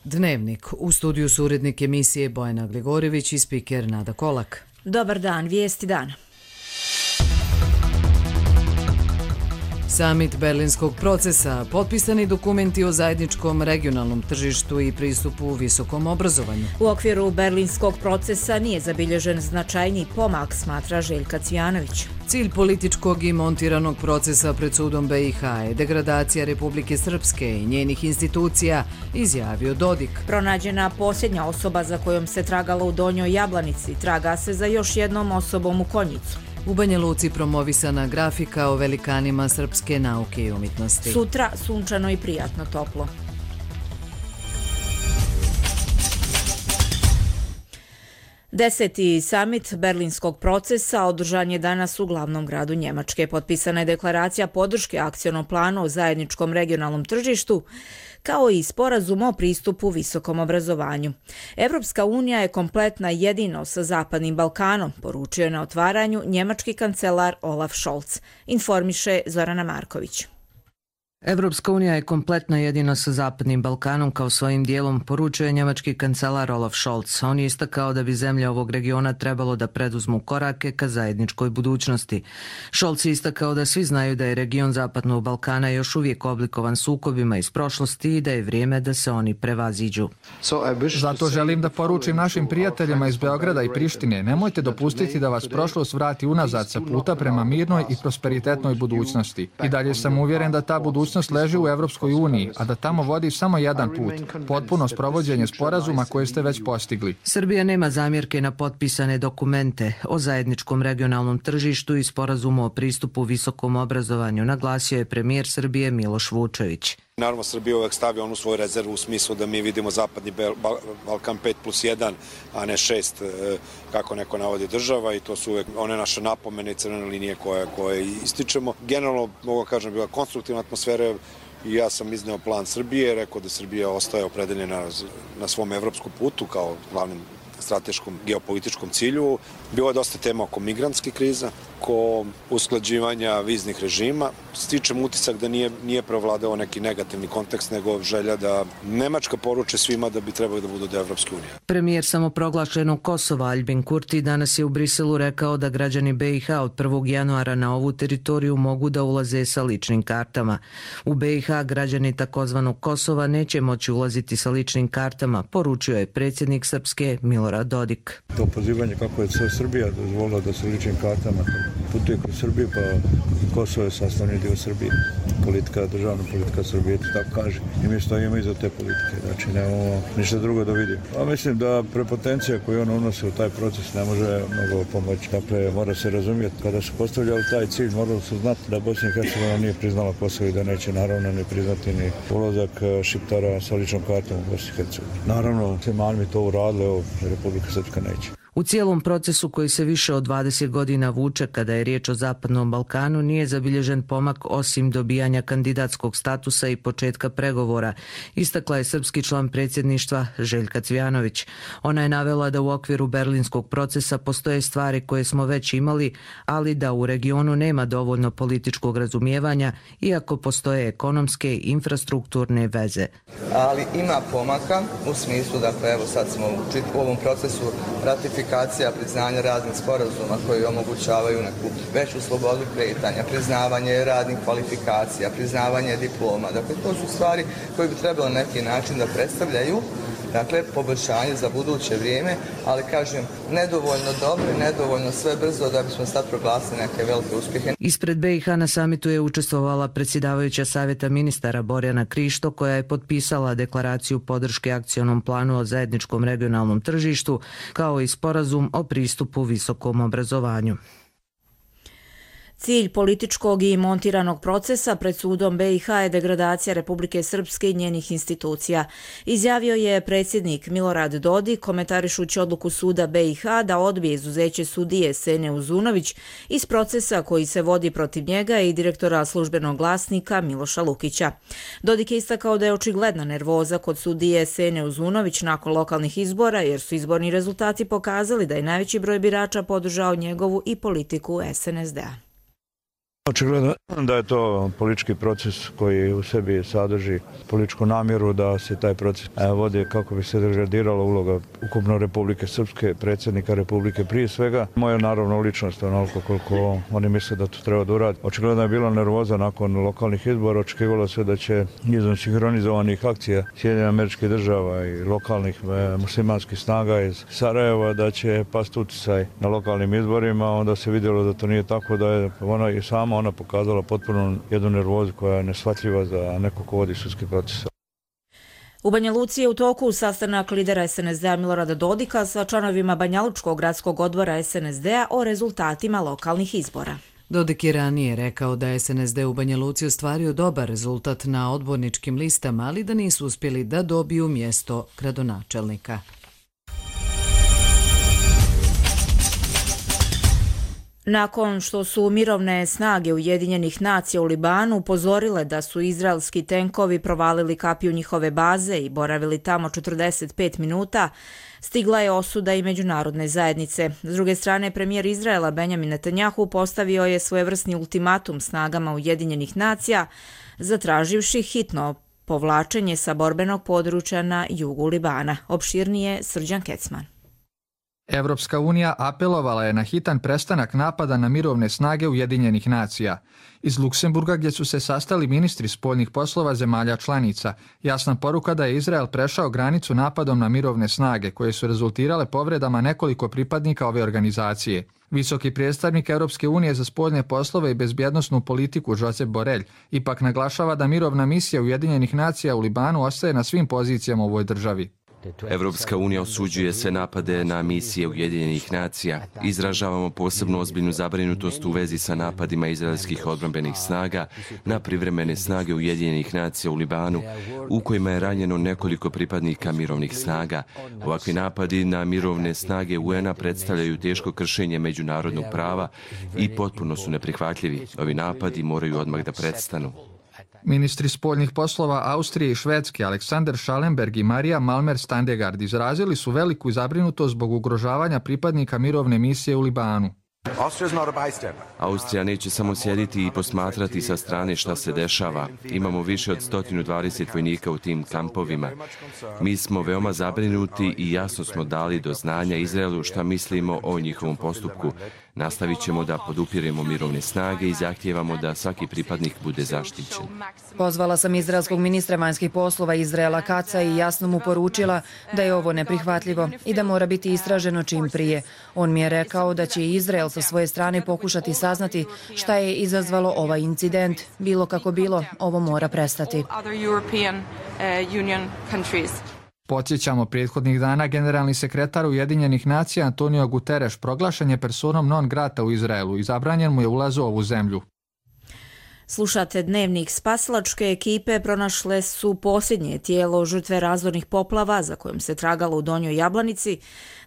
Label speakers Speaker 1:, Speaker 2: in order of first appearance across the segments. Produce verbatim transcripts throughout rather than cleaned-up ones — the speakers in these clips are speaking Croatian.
Speaker 1: Dnevnik. U studiju su urednik emisije Bojana Gligorjević i spiker Nada Kolak.
Speaker 2: Dobar dan, vijesti dana.
Speaker 1: Samit Berlinskog procesa, potpisani dokumenti o zajedničkom regionalnom tržištu i pristupu visokom obrazovanju.
Speaker 2: U okviru Berlinskog procesa nije zabilježen značajniji pomak, smatra Željka Cvijanović.
Speaker 1: Cilj političkog i montiranog procesa pred sudom B i H je degradacija Republike Srpske i njenih institucija, izjavio Dodik.
Speaker 2: Pronađena posljednja osoba za kojom se tragalo u Donjoj Jablanici, traga se za još jednom osobom u Konjicu.
Speaker 1: U Banja Luci promovisana grafika o velikanima srpske nauke i umjetnosti.
Speaker 2: Sutra sunčano i prijatno toplo. Deseti samit Berlinskog procesa održan je danas u glavnom gradu Njemačke. Potpisana je deklaracija podrške akcionom planu o zajedničkom regionalnom tržištu, kao i sporazum o pristupu visokom obrazovanju. Evropska unija je kompletna jedino sa Zapadnim Balkanom, poručio je na otvaranju njemački kancelar Olaf Scholz, informiše Zorana Marković.
Speaker 1: Evropska unija je kompletna jedino sa Zapadnim Balkanom kao svojim dijelom, poručuje njemački kancelar Olaf Scholz. On je istakao da bi zemlje ovog regiona trebalo da preduzmu korake ka zajedničkoj budućnosti. Scholz je istakao da svi znaju da je region Zapadnog Balkana još uvijek oblikovan sukobima iz prošlosti i da je vrijeme da se oni prevaziđu.
Speaker 3: Zato želim da poručim našim prijateljima iz Beograda i Prištine, nemojte dopustiti da vas prošlost vrati unazad sa puta prema mirnoj i prosperitetnoj budućnosti. I dalje sam uvjeren da ta budućnost leži u Evropskoj uniji, a da tamo vodi samo jedan put, potpuno sprovođenje sporazuma koje ste već postigli.
Speaker 1: Srbija nema zamjerke na potpisane dokumente o zajedničkom regionalnom tržištu i sporazumu o pristupu visokom obrazovanju, naglasio je premijer Srbije Miloš Vučević.
Speaker 4: Naravno, Srbija uvek stavlja onu svoju rezervu u smislu da mi vidimo Zapadni Balkan pet plus jedan, a ne šest, kako neko navodi država, i to su uvek one naše napomene i crvene linije koje, koje ističemo. Generalno, mogu kažem, bila konstruktivna atmosfera i ja sam izneo plan Srbije, rekao da Srbija ostaje opredeljena na svom evropskom putu kao glavnim strateškom geopolitičkom cilju. Bilo je dosta tema oko migrantske krize, oko usklađivanja viznih režima. Stičem utisak da nije, nije prevladao neki negativni kontekst, nego želja da Nemačka poruče svima da bi trebali da budu do Evropske unije.
Speaker 1: Premijer samoproglašenog Kosova Aljbin Kurti danas je u Briselu rekao da građani B i H od prvog januara na ovu teritoriju mogu da ulaze sa ličnim kartama. U B i H građani takozvanog Kosova neće moći ulaziti sa ličnim kartama, poručio je predsjednik Srpske Milorad Dodik.
Speaker 5: To pozivanje kako je Srbija dozvolila da se ličnim kartama putuje kroz Srbiju, pa Kosovo je sastavni dio Srbije. Politika, državna politika Srbije, tako kaže. I mi stojimo iza te politike, znači nemamo ništa drugo da vidimo. A mislim da prepotencija koju on unosi u taj proces ne može mnogo pomoći. Dakle, mora se razumjeti, kada su postavljali taj cilj, morali su znati da Bosna i Hercegovina nije priznala Kosovo i da neće naravno ne priznati ni ulazak Šiptara sa ličnom kartom u Bosni i Hercegovini. Naravno, Semani mi to uradili, ovo Republika Srpska neće.
Speaker 1: U cijelom procesu koji se više od dvadeset godina vuče kada je riječ o Zapadnom Balkanu nije zabilježen pomak osim dobijanja kandidatskog statusa i početka pregovora, istakla je srpski član predsjedništva Željka Cvijanović. Ona je navela da u okviru Berlinskog procesa postoje stvari koje smo već imali, ali da u regionu nema dovoljno političkog razumijevanja, iako postoje ekonomske i infrastrukturne veze.
Speaker 6: Ali ima pomaka u smislu, dakle, evo sad smo u ovom procesu ratifikacije priznanja raznih sporazuma koji omogućavaju neku veću slobodu kretanja, priznavanje radnih kvalifikacija, priznavanje diploma. Dakle, to su stvari koje bi trebalo na neki način da predstavljaju, dakle, poboljšanje za buduće vrijeme, ali kažem, nedovoljno dobro i nedovoljno sve brzo da bismo sad proglasili neke velike uspjehe.
Speaker 1: Ispred B i H na samitu je učestvovala predsjedavajuća savjeta ministara Borjana Krišto, koja je potpisala deklaraciju podrške akcionom planu o zajedničkom regionalnom tržištu, kao i sporazum o pristupu visokom obrazovanju.
Speaker 2: Cilj političkog i montiranog procesa pred sudom B i H je degradacija Republike Srpske i njenih institucija, izjavio je predsjednik Milorad Dodik komentarišući odluku suda B i H da odbije izuzeće sudije Sene Uzunović iz procesa koji se vodi protiv njega i direktora službenog glasnika Miloša Lukića. Dodik je istakao da je očigledna nervoza kod sudije Sene Uzunović nakon lokalnih izbora, jer su izborni rezultati pokazali da je najveći broj birača podržao njegovu i politiku S N S D-a.
Speaker 5: Očigledno da je to politički proces koji u sebi sadrži političku namjeru da se taj proces vodi kako bi se degradirala uloga ukupno Republike Srpske, predsjednika Republike prije svega. Moja naravno ličnost onoliko koliko oni misle da to treba da uradi. Očigledno je bila nervoza nakon lokalnih izbora, očekivalo se da će izvan sinhronizovanih akcija Sjedinjenih Američkih Država i lokalnih muslimanskih snaga iz Sarajeva da će pasti utjecaj na lokalnim izborima, onda se vidjelo da to nije tako, da je ona i sama ona pokazala potpuno jednu nervozu koja je neshvatljiva za neko ko vodi sudski proces.
Speaker 2: U Banja Luci je u toku sastanak lidera es en es de a Milorada Dodika sa članovima Banjalučkog gradskog odbora es en es de a o rezultatima lokalnih izbora.
Speaker 1: Dodik je ranije rekao da je es en es de u Banja Luci ostvario dobar rezultat na odborničkim listama, ali da nisu uspjeli da dobiju mjesto gradonačelnika.
Speaker 2: Nakon što su mirovne snage Ujedinjenih nacija u Libanu upozorile da su izraelski tenkovi provalili kapiju njihove baze i boravili tamo četrdeset pet minuta, stigla je osuda i međunarodne zajednice. S druge strane, premijer Izraela Benjamin Netanjahu postavio je svojevrsni ultimatum snagama Ujedinjenih nacija, zatraživši hitno povlačenje sa borbenog područja na jugu Libana. Opširnije Srđan Kecman.
Speaker 3: Evropska unija apelovala je na hitan prestanak napada na mirovne snage Ujedinjenih nacija. Iz Luksemburga, gdje su se sastali ministri spoljnih poslova zemalja članica, jasna poruka da je Izrael prešao granicu napadom na mirovne snage, koje su rezultirale povredama nekoliko pripadnika ove organizacije. Visoki predstavnik Europske unije za spoljne poslove i bezbjednosnu politiku Josep Borrell ipak naglašava da mirovna misija Ujedinjenih nacija u Libanu ostaje na svim pozicijama u ovoj državi.
Speaker 7: Evropska unija osuđuje sve napade na misije Ujedinjenih nacija. Izražavamo posebno ozbiljnu zabrinutost u vezi sa napadima izraelskih odbrambenih snaga na privremene snage Ujedinjenih nacija u Libanu, u kojima je ranjeno nekoliko pripadnika mirovnih snaga. Ovakvi napadi na mirovne snage u en a predstavljaju teško kršenje međunarodnog prava i potpuno su neprihvatljivi. Ovi napadi moraju odmah da prestanu.
Speaker 3: Ministri spoljnih poslova Austrije i Švedske Alexander Schallenberg i Marija Malmer Standegard izrazili su veliku zabrinutost zbog ugrožavanja pripadnika mirovne misije u Libanu.
Speaker 7: Austrija neće samo sjediti i posmatrati sa strane šta se dešava. Imamo više od sto dvadeset vojnika u tim kampovima. Mi smo veoma zabrinuti i jasno smo dali do znanja Izraelu šta mislimo o njihovom postupku. Nastavit ćemo da podupiremo mirovne snage i zahtijevamo da svaki pripadnik bude zaštićen.
Speaker 8: Pozvala sam izraelskog ministra vanjskih poslova Izraela Kaca i jasno mu poručila da je ovo neprihvatljivo i da mora biti istraženo čim prije. On mi je rekao da će Izrael sa svoje strane pokušati saznati šta je izazvalo ovaj incident. Bilo kako bilo, ovo mora prestati.
Speaker 3: Podsjećamo, prethodnih dana generalni sekretar Ujedinjenih nacija Antonio Guterres proglašen je personom non grata u Izraelu i zabranjen mu je ulaz u ovu zemlju.
Speaker 2: Slušate Dnevnik. Spasilačke ekipe pronašle su posljednje tijelo žrtve razornih poplava za kojom se tragalo u Donjoj Jablanici,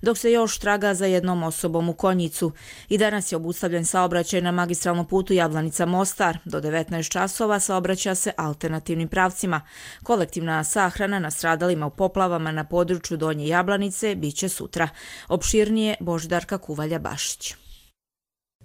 Speaker 2: dok se još traga za jednom osobom u Konjicu. I danas je obustavljen saobraćaj na magistralnom putu Jablanica-Mostar. Do devetnaest časova saobraća se alternativnim pravcima. Kolektivna sahrana nastradalima u poplavama na području Donje Jablanice biće sutra. Opširnije Božidarka Kuvalja-Bašić.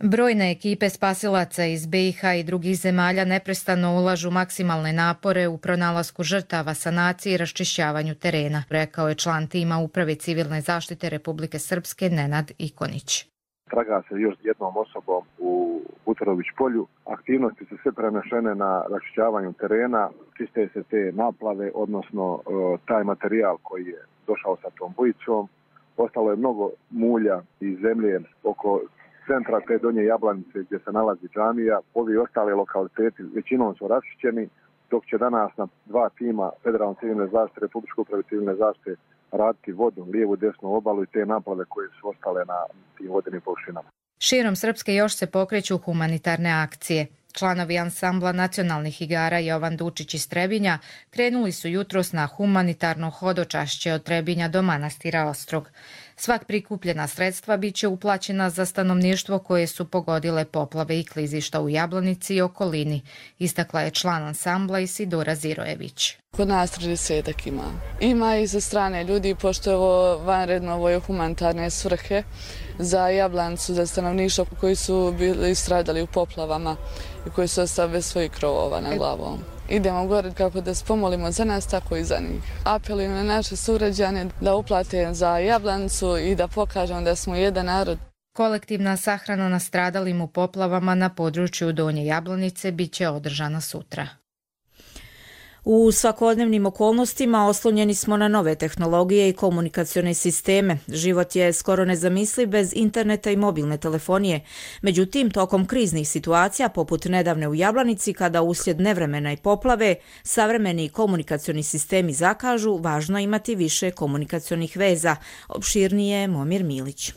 Speaker 9: Brojne ekipe spasilaca iz be i ha i drugih zemalja neprestano ulažu maksimalne napore u pronalasku žrtava, sanaciji i raščišćavanju terena, rekao je član tima Uprave civilne zaštite Republike Srpske Nenad Ikonić.
Speaker 10: Traga se još jednom osobom u Butorović polju. Aktivnosti su sve prenešene na raščišćavanju terena, čiste se te naplave, odnosno taj materijal koji je došao sa tom bujicom. Ostalo je mnogo mulja i zemlje oko centra te Donje Jablanice gdje se nalazi džamija. Ovi ostale lokaliteti većinom su raščišćeni, dok će danas na dva tima Federalne civilne zaštite, Republičke uprave civilne zaštite raditi vodu, lijevu, desnu obalu i te naplave koje su ostale na tim vodenim površinama.
Speaker 9: Širom Srpske još se pokreću humanitarne akcije. Članovi ansambla nacionalnih igara Jovan Dučić iz Trebinja krenuli su jutros na humanitarno hodočašće od Trebinja do manastira Ostrog. Svak prikupljena sredstva bit će uplaćena za stanovništvo koje su pogodile poplave i klizišta u Jablanici i okolini, istakla je član ansambla Isidora Zirojević.
Speaker 11: Kod nas tridesetak ima. Ima i za strane ljudi, pošto je ovo vanredno, ovo je humanitarne svrhe za Jablanicu, za stanovništvo koji su bili stradali u poplavama i koji su ostali bez svojih krovova na glavom. Idemo gore kako da se pomolimo za nas, tako i za njih. Apelujem na naše sugrađane da uplate za Jablanicu i da pokažemo da smo jedan narod.
Speaker 9: Kolektivna sahrana nastradalim u poplavama na području Donje Jablanice bit će održana sutra.
Speaker 2: U svakodnevnim okolnostima oslonjeni smo na nove tehnologije i komunikacione sisteme. Život je skoro nezamisliv bez interneta i mobilne telefonije. Međutim, tokom kriznih situacija, poput nedavne u Jablanici, kada uslijed nevremena i poplave, savremeni komunikacioni sistemi zakažu, važno je imati više komunikacionih veza. Opširnije Momir Milić.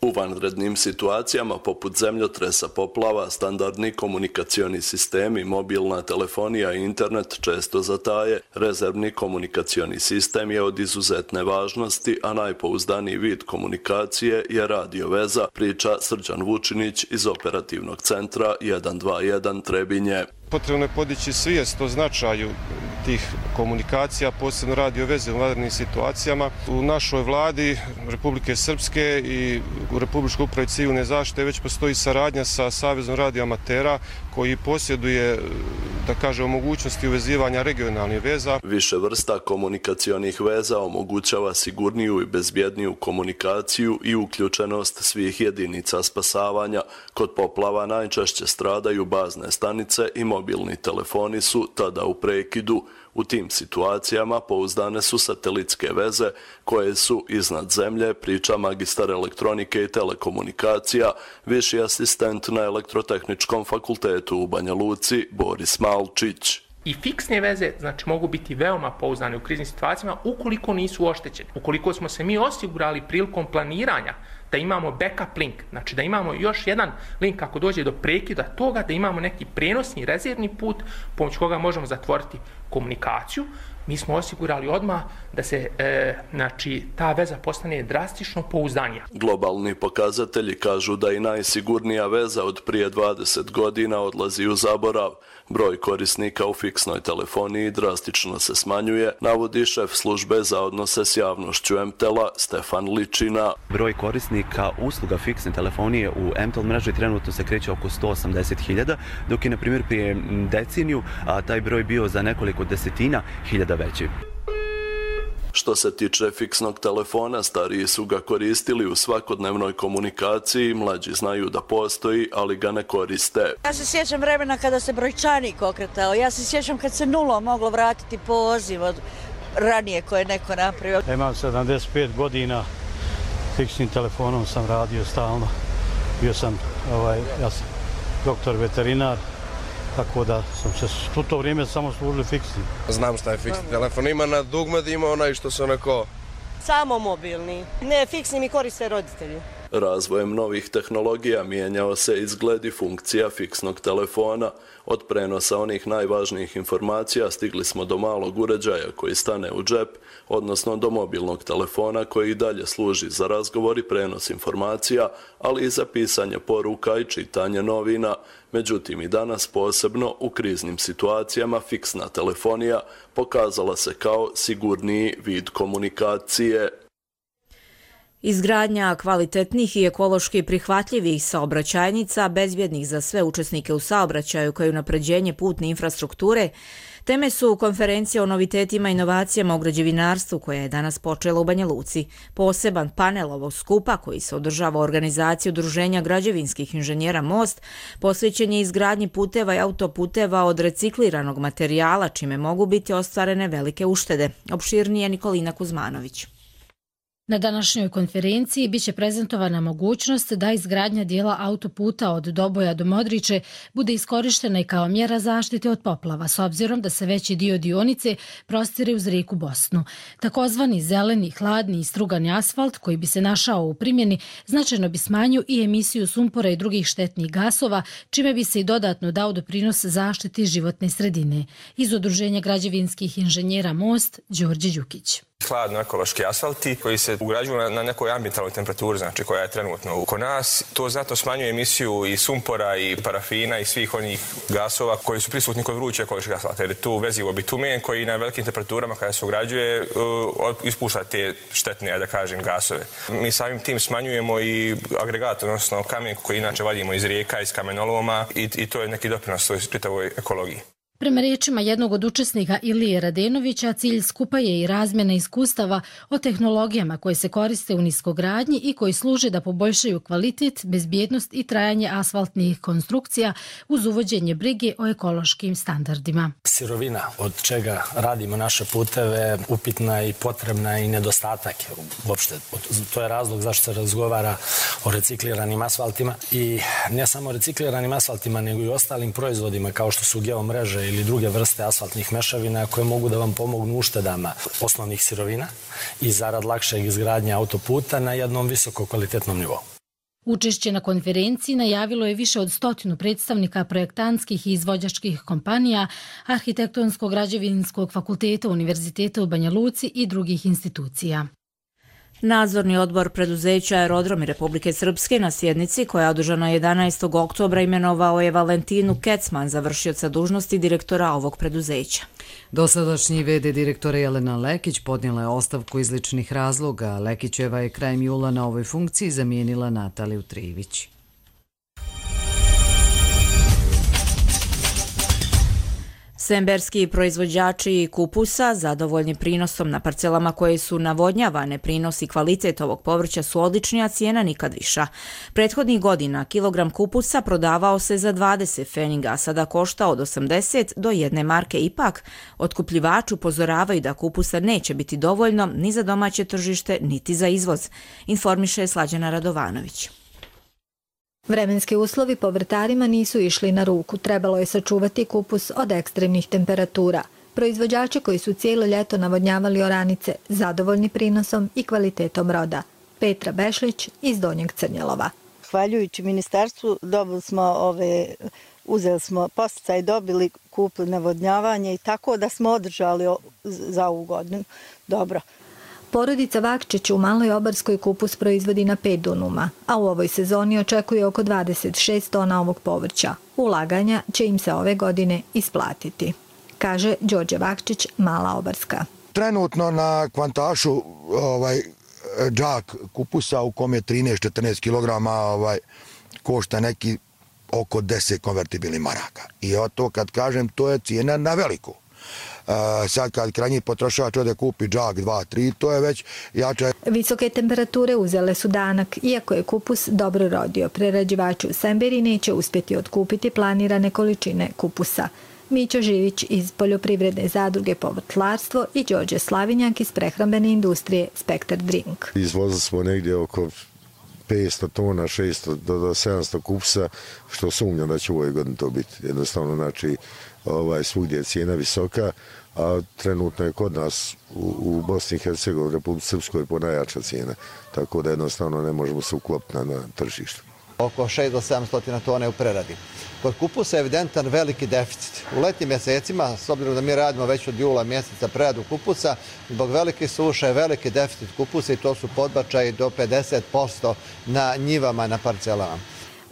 Speaker 12: U vanrednim situacijama poput zemljotresa, poplava, standardni komunikacioni sistemi, mobilna telefonija i internet često zataje. Rezervni komunikacioni sistem je od izuzetne važnosti, a najpouzdaniji vid komunikacije je radio veza, priča Srđan Vučinić iz operativnog centra jedan dva jedan Trebinje.
Speaker 13: Potrebno je podići svijest o značaju tih komunikacija, posebno radio veze u vanrednim situacijama. U našoj vladi Republike Srpske i u Republičkoj upravi civilne zaštite već postoji saradnja sa Savezom radioamatera koji posjeduje, da kažem, mogućnosti uvezivanja regionalnih veza.
Speaker 12: Više vrsta komunikacionih veza omogućava sigurniju i bezbjedniju komunikaciju i uključenost svih jedinica spasavanja. Kod poplava najčešće stradaju bazne stanice i mobilni telefoni su tada u prekidu. U tim situacijama pouzdane su satelitske veze koje su iznad zemlje, priča magistar elektronike i telekomunikacija, viši asistent na Elektrotehničkom fakultetu u Banja Luci Boris Malčić.
Speaker 14: I fiksne veze, znači, mogu biti veoma pouzdane u kriznim situacijama ukoliko nisu oštećene. Ukoliko smo se mi osigurali prilikom planiranja da imamo backup link, znači da imamo još jedan link ako dođe do prekida toga, da imamo neki prenosni rezervni put pomoću koga možemo zatvoriti komunikaciju. Mi smo osigurali odmah da se e, znači, ta veza postane drastično pouzdanija.
Speaker 12: Globalni pokazatelji kažu da i najsigurnija veza od prije dvadeset godina odlazi u zaborav. Broj korisnika u fiksnoj telefoniji drastično se smanjuje, navodi šef službe za odnose s javnošću em te el-a Stefan Ličina.
Speaker 15: Broj korisnika usluga fiksne telefonije u em te el mreži trenutno se kreće oko sto osamdeset hiljada, dok je, na primjer, prije deceniju a taj broj bio za nekoliko desetina hiljada veći.
Speaker 12: Što se tiče fiksnog telefona, stariji su ga koristili u svakodnevnoj komunikaciji, mlađi znaju da postoji, ali ga ne koriste.
Speaker 16: Ja se sjećam vremena kada se brojčanik okretao, ja se sjećam kad se nulom moglo vratiti poziv od ranije koje je neko napravio.
Speaker 17: Imam sedamdeset pet godina, fiksnim telefonom sam radio stalno, bio sam, ovaj, ja sam doktor veterinar, tako da sam se u to vrijeme samo služili fiksni.
Speaker 18: Znam šta je fiksni telefon, ima na dugme, ima onaj što se onako...
Speaker 19: Samo mobilni, ne fiksni mi koriste roditelji.
Speaker 12: Razvojem novih tehnologija mijenjao se izgled i funkcija fiksnog telefona. Od prenosa onih najvažnijih informacija stigli smo do malog uređaja koji stane u džep, odnosno do mobilnog telefona koji i dalje služi za razgovor i prenos informacija, ali i za pisanje poruka i čitanje novina. Međutim, i danas, posebno u kriznim situacijama, fiksna telefonija pokazala se kao sigurniji vid komunikacije.
Speaker 2: Izgradnja kvalitetnih i ekološki prihvatljivih saobraćajnica, bezbjednih za sve učesnike u saobraćaju, kao i unapređenje putne infrastrukture, teme su konferencije o novitetima i inovacijama u građevinarstvu koja je danas počela u Banja Luci. Poseban panel ovog skupa, koji se održava u organizaciji Udruženja građevinskih inženjera Most, posvećen je izgradnji puteva i autoputeva od recikliranog materijala, čime mogu biti ostvarene velike uštede. Opširnije Nikolina Kuzmanović.
Speaker 20: Na današnjoj konferenciji biće prezentovana mogućnost da izgradnja dijela autoputa od Doboja do Modriče bude iskorištena i kao mjera zaštite od poplava, s obzirom da se veći dio dionice prostire uz rijeku Bosnu. Takozvani zeleni, hladni i strugani asfalt koji bi se našao u primjeni značajno bi smanjio i emisiju sumpora i drugih štetnih gasova, čime bi se i dodatno dao doprinos zaštiti životne sredine. Iz Udruženja građevinskih inženjera Most, Đorđe Đukić.
Speaker 21: Hladno ekološki asfalti koji se ugrađuju na, na nekoj ambientalnoj temperaturi, znači koja je trenutno oko nas. To znatno smanjuje emisiju i sumpora i parafina i svih onih gasova koji su prisutni kod vrućeg ekološkog asfalta. Jer je tu vezivo bitumen koji na velikim temperaturama kada se ugrađuje uh, ispušta te štetne, da kažem, gasove. Mi samim tim smanjujemo i agregat, odnosno kamen koji inače vadimo iz rijeka, iz kamenoloma i, i to je neki doprinos toj čitavoj ekologiji.
Speaker 20: Prema riječima jednog od učesnika Ilije Radenovića, cilj skupa je i razmjena iskustava o tehnologijama koje se koriste u niskogradnji i koji služe da poboljšaju kvalitet, bezbjednost i trajanje asfaltnih konstrukcija uz uvođenje brige o ekološkim standardima.
Speaker 22: Sirovina od čega radimo naše puteve upitna i potrebna i nedostatak. Uopšte, to je razlog zašto se razgovara o recikliranim asfaltima i ne samo recikliranim asfaltima, nego i ostalim proizvodima kao što su geomreže ili druge vrste asfaltnih mešavina koje mogu da vam pomognu uštedama osnovnih sirovina i zarad lakšeg izgradnje autoputa na jednom visoko kvalitetnom nivou.
Speaker 20: Učešće na konferenciji najavilo je više od stotinu predstavnika projektantskih i izvođačkih kompanija, Arhitektonsko-građevinskog fakulteta Univerziteta u Banja Luci i drugih institucija.
Speaker 2: Nadzorni odbor preduzeća Aerodromi Republike Srpske na sjednici koja je održana jedanaestog oktobra imenovao je Valentinu Kecman za vršioca dužnosti direktora ovog preduzeća.
Speaker 23: Dosadašnji ve de direktora Jelena Lekić podnijela je ostavku iz ličnih razloga. Lekićeva je krajem jula na ovoj funkciji zamijenila Nataliju Trivić.
Speaker 2: Semberski proizvođači kupusa, zadovoljni prinosom na parcelama koje su navodnjavane, prinos i kvalitet ovog povrća su odlični, a cijena nikad viša. Prethodnih godina kilogram kupusa prodavao se za dvadeset pfeniga, a sada košta od osamdeset do jedne marke. Ipak, otkupljivači upozoravaju da kupusa neće biti dovoljno ni za domaće tržište, niti za izvoz, informiše Slađana Radovanović.
Speaker 24: Vremenski uslovi povrtarima nisu išli na ruku. Trebalo je sačuvati kupus od ekstremnih temperatura. Proizvođači koji su cijelo ljeto navodnjavali oranice, zadovoljni prinosom i kvalitetom roda. Petra Bešlić iz Donjeg Crnjelova.
Speaker 25: Hvaljujući ministarstvu dobili smo ove, uzeli smo posticaj, dobili kupili navodnjavanje i tako da smo održali za ovu godinu. Dobro.
Speaker 24: Porodica Vakčić u Maloj Obarskoj kupus proizvodi na pet dunuma, a u ovoj sezoni očekuje oko dvadeset šest tona ovog povrća. Ulaganja će im se ove godine isplatiti, kaže Đorđe Vakčić, Mala Obarska.
Speaker 26: Trenutno na kvantašu ovaj, džak kupusa u kom je trinaest do četrnaest kilograma ovaj, košta neki oko deset konvertibilnih maraka. I to kad kažem, to je cijena na veliku. Uh, sad kad krajnji potrošač ode kupi džak dva tri, to je već jače.
Speaker 24: Visoke temperature uzele su danak, iako je kupus dobro rodio. Prerađivači u Semberi neće uspjeti otkupiti planirane količine kupusa. Mićo Živić iz Poljoprivredne zadruge Povrtlarstvo i Đorđe Slavinjak iz prehrambene industrije Spektar Drink.
Speaker 27: Izvozili smo negdje oko petsto tona, šesto do sedamsto kupusa, što sumnjam da će u ovoj godini to biti. Jednostavno, znači, ovaj, svugdje je cijena visoka, a trenutno je kod nas u, u Bosni i Hercegovini, Republici Srpskoj ponajjača cijena, tako da jednostavno ne možemo se uklopiti na, na tržištu.
Speaker 28: Oko šest do sedamsto tona u preradi. Kod kupusa je evidentan veliki deficit. U letnjim mjesecima, s obzirom da mi radimo već od jula mjeseca preradu kupusa, zbog velike suše je veliki deficit kupusa i to su podbačaji do pedeset posto na njivama, na parcelama.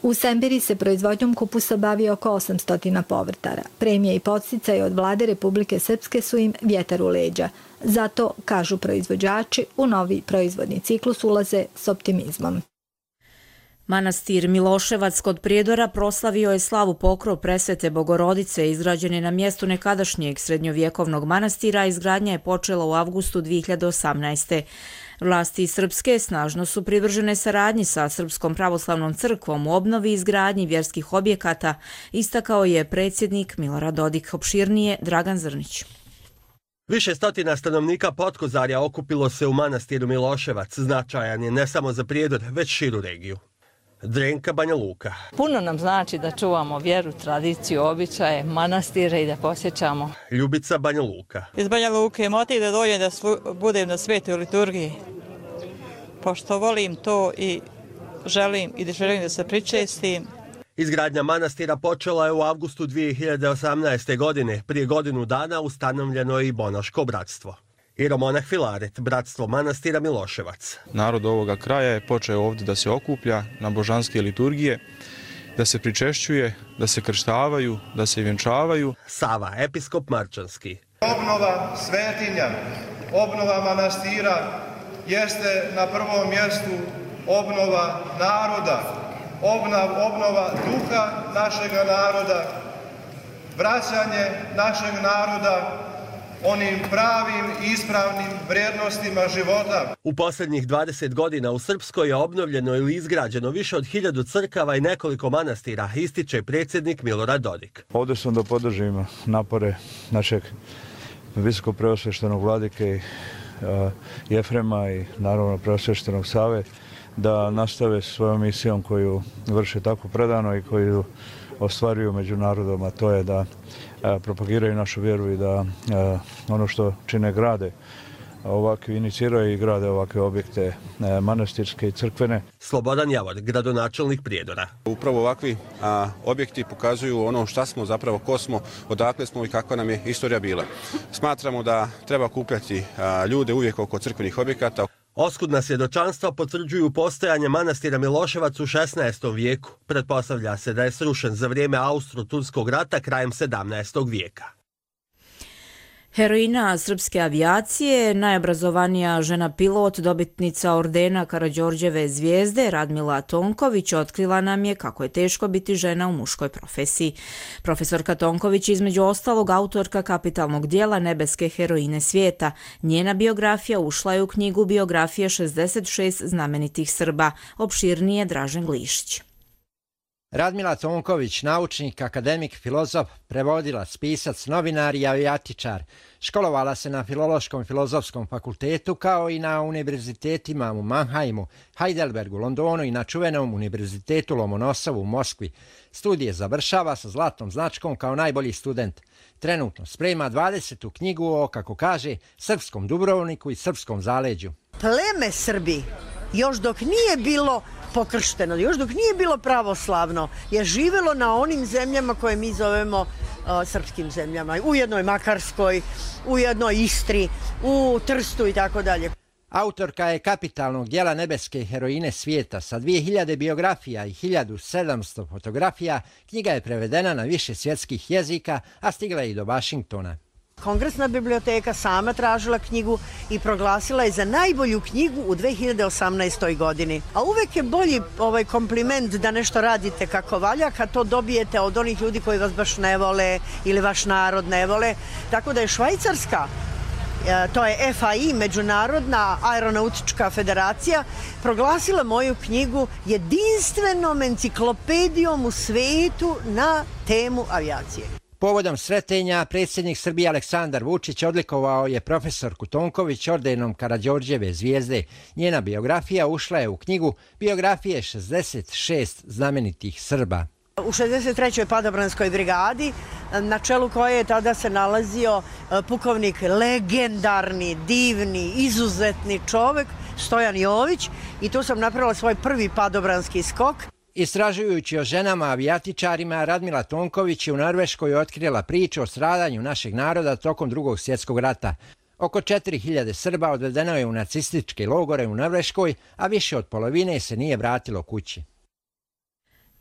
Speaker 24: U Semberi se proizvodnjom kupusa bavi oko osamsto povrtara. Premije i podsticaje od vlade Republike Srpske su im vjetar u leđa. Zato, kažu proizvođači, u novi proizvodni ciklus ulaze s optimizmom.
Speaker 2: Manastir Miloševac kod Prijedora proslavio je slavu pokrov presvete Bogorodice, izgrađen je na mjestu nekadašnjeg srednjovjekovnog manastira, izgradnja je počela u avgustu dvije hiljade osamnaeste. Vlasti Srpske snažno su privržene saradnji sa Srpskom pravoslavnom crkvom u obnovi i izgradnji vjerskih objekata, istakao je predsjednik Milorad Dodik. Opširnije Dragan Zrnić.
Speaker 29: Više stotina stanovnika Potkozarja okupilo se u manastiru Miloševac. Značajan je ne samo za Prijedor, već širu regiju. Drenka, Banja Luka.
Speaker 30: Puno nam znači da čuvamo vjeru, tradiciju, običaje, manastire i da posjećamo.
Speaker 29: Ljubica, Banja Luka.
Speaker 30: Iz Banja Luke motiv da dođem da budem na svetoj liturgiji. Pošto volim to i želim i da želim da se pričestim.
Speaker 29: Izgradnja manastira počela je u avgustu dvije hiljade osamnaeste. godine. Prije godinu dana ustanovljeno je i Bonaško bratstvo. I Romonah Filaret, bratstvo manastira Miloševac.
Speaker 1: Narod ovoga kraja je počeo ovdje da se okuplja na božanske liturgije, da se pričešćuje, da se krštavaju, da se vjenčavaju.
Speaker 29: Sava, episkop Marčanski.
Speaker 3: Obnova svetinja, obnova manastira jeste na prvom mjestu obnova naroda, obnova, obnova duha našega naroda, vraćanje našeg naroda onim pravim i ispravnim vrijednostima života.
Speaker 29: U posljednjih dvadeset godina u Srpskoj je obnovljeno ili izgrađeno više od hiljadu crkava i nekoliko manastira, ističe predsjednik Milorad Dodik.
Speaker 4: Ovdje sam da podržim napore našeg visokog preosveštenog vladike Jefrema i naravno preosveštenog Save da nastave svojom misijom koju vrše tako predano i koju ostvaruju među narodom, a to je da propagiraju našu vjeru i da ono što čine grade, ovakve iniciraju i grade ovakve objekte manastirske i crkvene.
Speaker 29: Slobodan Javor, gradonačelnik Prijedora.
Speaker 5: Upravo ovakvi a, objekti pokazuju ono šta smo, zapravo ko smo, odakle smo i kakva nam je istorija bila. Smatramo da treba kupljati a, ljude uvijek oko crkvenih objekata.
Speaker 29: Oskudna svjedočanstva potvrđuju postojanje manastira Miloševac u šesnaestom vijeku. Pretpostavlja se da je srušen za vrijeme Austro-Turskog rata krajem sedamnaestog vijeka.
Speaker 2: Heroina srpske avijacije, najobrazovanija žena pilot, dobitnica ordena Karađorđeve zvijezde, Radmila Tonković, otkrila nam je kako je teško biti žena u muškoj profesiji. Profesorka Tonković, između ostalog, autorka kapitalnog dijela Nebeske heroine svijeta. Njena biografija ušla je u knjigu Biografije šezdeset šest znamenitih Srba. Opširnije Dražen Glišić.
Speaker 6: Radmila Tonković, naučnik, akademik, filozof, prevodilac, pisac, novinar i avijatičar. Školovala se na Filološkom i Filozofskom fakultetu kao i na univerzitetima u Mannheimu, Heidelbergu, Londonu i na čuvenom univerzitetu Lomonosovu u Moskvi. Studije završava sa zlatnom značkom kao najbolji student. Trenutno sprema dvadesetu knjigu o, kako kaže, srpskom Dubrovniku i srpskom zaleđu.
Speaker 7: Pleme Srbi, još dok nije bilo pokršteno, još dok nije bilo pravoslavno, je živelo na onim zemljama koje mi zovemo uh, srpskim zemljama. U jednoj Makarskoj, u jednoj Istri, u Trstu i tako dalje.
Speaker 6: Autorka je kapitalnog dijela Nebeske heroine svijeta sa dvije hiljade biografija i hiljadu sedamsto fotografija. Knjiga je prevedena na više svjetskih jezika, a stigla je i do Vašingtona.
Speaker 7: Kongresna biblioteka sama tražila knjigu i proglasila je za najbolju knjigu u dve hiljade osamnaestoj godini. A uvek je bolji ovaj kompliment da nešto radite kako valja kad to dobijete od onih ljudi koji vas baš ne vole ili vaš narod ne vole. Tako da je Švajcarska, to je F A I, Međunarodna aeronautička federacija, proglasila moju knjigu jedinstvenom enciklopedijom u svetu na temu avijacije.
Speaker 6: Povodom sretenja predsjednik Srbije Aleksandar Vučić odlikovao je profesorku Tonković ordenom Karađorđeve zvijezde. Njena biografija ušla je u knjigu Biografije šezdeset šest znamenitih Srba.
Speaker 7: U šezdeset trećoj padobranskoj brigadi, na čelu koje je tada se nalazio pukovnik, legendarni, divni, izuzetni čovek, Stojan Jović, i tu sam napravila svoj prvi padobranski skok.
Speaker 6: Istražujući o ženama avijatičarima, Radmila Tonković je u Norveškoj otkrila priču o stradanju našeg naroda tokom drugog svjetskog rata. Oko četiri hiljade Srba odvedeno je u nacističke logore u Norveškoj, a više od polovine se nije vratilo kući.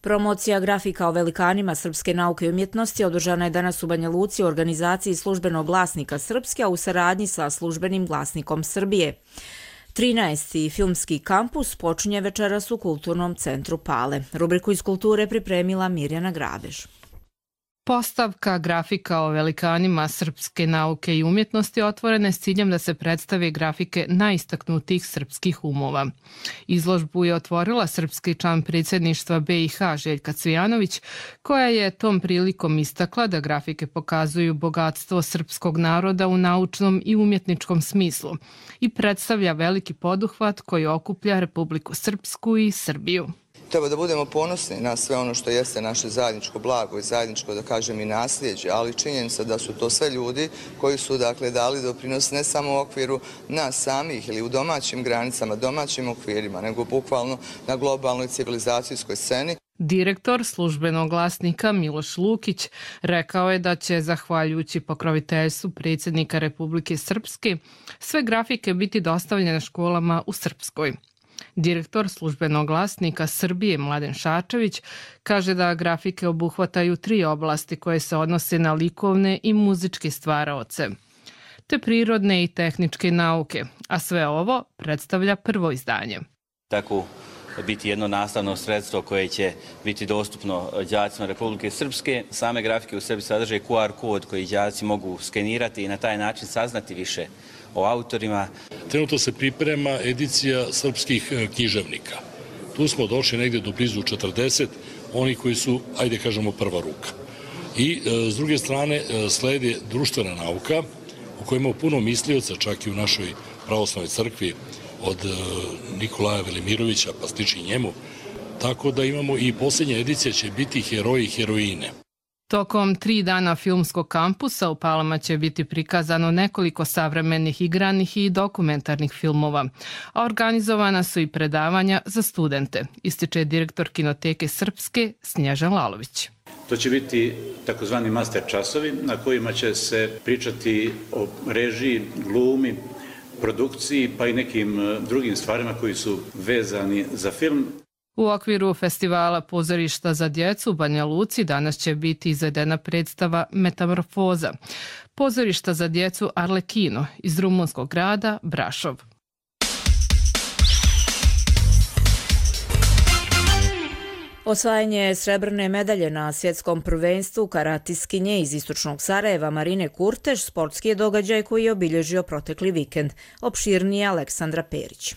Speaker 2: Promocija grafika o velikanima srpske nauke i umjetnosti održana je danas u Banja Luci u organizaciji Službenog glasnika Srpske, a u saradnji sa Službenim glasnikom Srbije. trinaesti filmski kampus počinje večeras u Kulturnom centru Pale. Rubriku iz kulture pripremila Mirjana Grabež.
Speaker 8: Postavka grafika o velikanima srpske nauke i umjetnosti otvorena je s ciljem da se predstave grafike najistaknutijih srpskih umova. Izložbu je otvorila srpski član predsjedništva B i H Željka Cvijanović, koja je tom prilikom istakla da grafike pokazuju bogatstvo srpskog naroda u naučnom i umjetničkom smislu i predstavlja veliki poduhvat koji okuplja Republiku Srpsku i Srbiju.
Speaker 9: Treba da budemo ponosni na sve ono što jeste naše zajedničko blago i zajedničko, da kažem, i nasljeđe, ali činjenica da su to sve ljudi koji su, dakle, dali doprinos ne samo u okviru nas samih ili u domaćim granicama, domaćim okvirima, nego bukvalno na globalnoj civilizacijskoj sceni.
Speaker 8: Direktor službenog glasnika Miloš Lukić rekao je da će, zahvaljujući pokroviteljstvu predsjednika Republike Srpske, sve grafike biti dostavljene školama u Srpskoj. Direktor službenog glasnika Srbije Mladen Šačević kaže da grafike obuhvataju tri oblasti koje se odnose na likovne i muzičke stvaraoce, te prirodne i tehničke nauke, a sve ovo predstavlja prvo izdanje.
Speaker 10: Tako biti jedno nastavno sredstvo koje će biti dostupno đacima Republike Srpske. Same grafike u sebi sadrže Q R kod koji đaci mogu skenirati i na taj način saznati više o autorima.
Speaker 11: Trenutno se priprema edicija srpskih književnika. Tu smo došli negdje do blizu četrdeset, oni koji su, ajde kažemo, prva ruka. I s druge strane sledi društvena nauka u kojoj imamo puno mislioca, čak i u našoj pravoslavnoj crkvi, od Nikolaja Velimirovića pa stiči njemu, tako da imamo i posljednja edicija će biti heroji i heroine.
Speaker 8: Tokom tri dana filmskog kampusa u Palama će biti prikazano nekoliko savremenih igranih i dokumentarnih filmova, a organizovana su i predavanja za studente, ističe direktor Kinoteke Srpske Snježan Lalović.
Speaker 12: To će biti takozvani master časovi na kojima će se pričati o režiji, glumi, produkciji pa i nekim drugim stvarima koji su vezani za film.
Speaker 8: U okviru festivala Pozorišta za djecu u Banja Luci danas će biti izvedena predstava Metamorfoza, pozorišta za djecu Arlekino iz rumunskog grada Brašov.
Speaker 2: Osvajanje srebrne medalje na svjetskom prvenstvu karatiskinje iz istočnog Sarajeva Marine Kurteš sportski je događaj koji je obilježio protekli vikend. Opširnije Aleksandra Perić.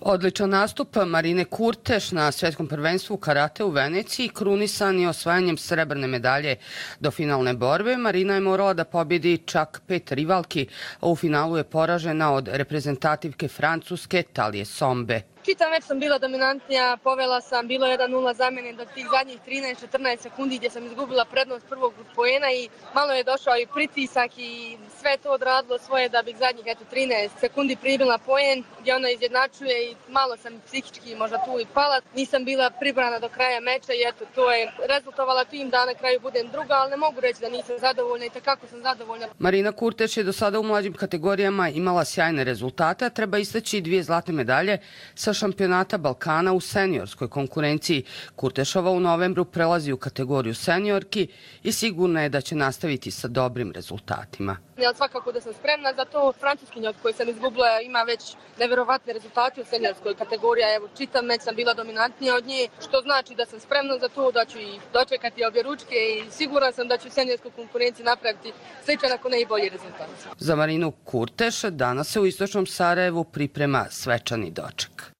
Speaker 13: Odličan nastup Marine Kurteš na svjetskom prvenstvu karate u Veneciji krunisan je osvajanjem srebrne medalje. Do finalne borbe Marina je morala da pobjedi čak pet rivalki, a u finalu je poražena od reprezentativke Francuske Talije Sombe.
Speaker 14: Čitav meč sam bila dominantnija, povela sam, bilo jedan nula za mene do tih zadnjih trinaest četrnaest sekundi gdje sam izgubila prednost prvog poena i malo je došao i pritisak i sve to odradilo svoje da bih zadnjih eto, trinaest sekundi pribila poen gdje ona izjednačuje i malo sam psihički možda tu i pala. Nisam bila pribrana do kraja meča i eto to je rezultovala tim da na kraju budem druga, ali ne mogu reći da nisam zadovoljna i takako sam zadovoljna.
Speaker 13: Marina Kurteš je do sada u mlađim kategorijama imala sjajne rezultate, treba istaći dvije zlatne medalje sa šampionata Balkana u seniorskoj konkurenciji. Kurtešova u novembru prelazi u kategoriju seniorki i sigurno je da će nastaviti sa dobrim rezultatima.
Speaker 14: Ja svakako da sam spremna za to. Francuskinja od koje sam izgubila ima već neverovatne rezultate u seniorskoj kategoriji. Evo, čitav meč sam bila dominantnija od nje, što znači da sam spremna za to, da ću ih dočekati obje ručke i siguran sam da ću u seniorskoj konkurenciji napraviti sličan ako ne i bolji rezultat.
Speaker 13: Za Marinu Kurteš danas se u istočnom Sarajevu priprema svečani doček.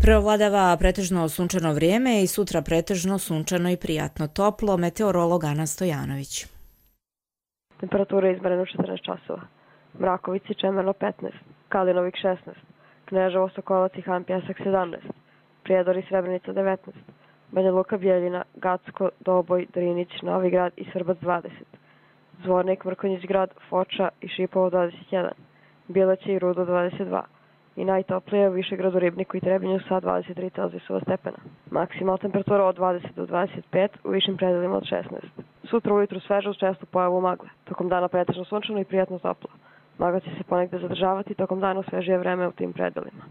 Speaker 2: Preovladava pretežno sunčano vrijeme i sutra pretežno sunčano i prijatno toplo, meteorolog Ana Stojanović.
Speaker 15: Temperatura izmerena u četrnaest časova. Mrakovici Čemerno petnaest, Kalinovik šesnaest, Kneževo Sokolac i Han Pjesak sedamnaest, Prijedor i Srebrenica devetnaest, Banja Luka Bjeljina, Gacko, Doboj, Drinić, Novi Grad i Srbac dvadeset, Zvornik, Mrkonjić Grad, Foča i Šipovo dvadeset jedan, Bileće i Rudo dvadeset dva. I najtoplije u Višegradu, Ribniku i Trebinju sa dvadeset tri Celzijusova stepena. Maksimalna temperatura od dvadeset do dvadeset pet, u višim predelima od šesnaest. Sutra ujutru sveže uz čestu pojavu magle. Tokom dana pretežno sunčano i prijatno toplo. Magla će se ponegde zadržavati, tokom dana svežije vreme u tim predelima.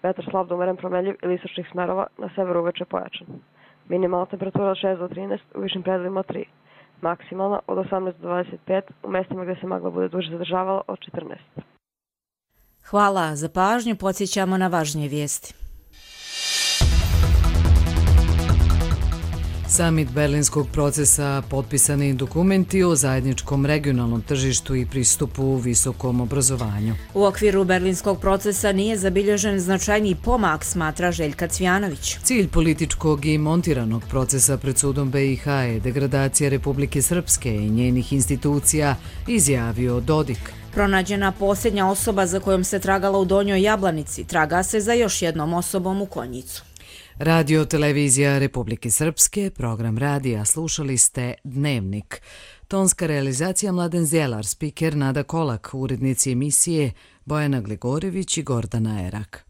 Speaker 15: Vetar slab do umeren promenljiv ili istočnih smerova, na severu uveče pojačan. Minimalna temperatura od šest do trinaest, u višim predelima od tri. Maksimalna od osamnaest do dvadeset pet, u mestima gdje se magla bude duže zadržavala od četrnaest.
Speaker 2: Hvala za pažnju, podsjećamo na važnije vijesti.
Speaker 23: Samit berlinskog procesa, potpisani dokumenti o zajedničkom regionalnom tržištu i pristupu u visokom obrazovanju.
Speaker 2: U okviru berlinskog procesa nije zabilježen značajniji pomak, smatra Željka Cvjanović.
Speaker 23: Cilj političkog i montiranog procesa pred sudom B i H je degradacija Republike Srpske i njenih institucija, izjavio Dodik.
Speaker 2: Pronađena posljednja osoba za kojom se tragala u Donjoj Jablanici, traga se za još jednom osobom u Konjicu.
Speaker 23: Radio Televizija Republike Srpske, program radija, slušali ste Dnevnik. Tonska realizacija Mladen Zjelar, spiker Nada Kolak, urednici emisije Bojana Gligorević i Gordana Erak.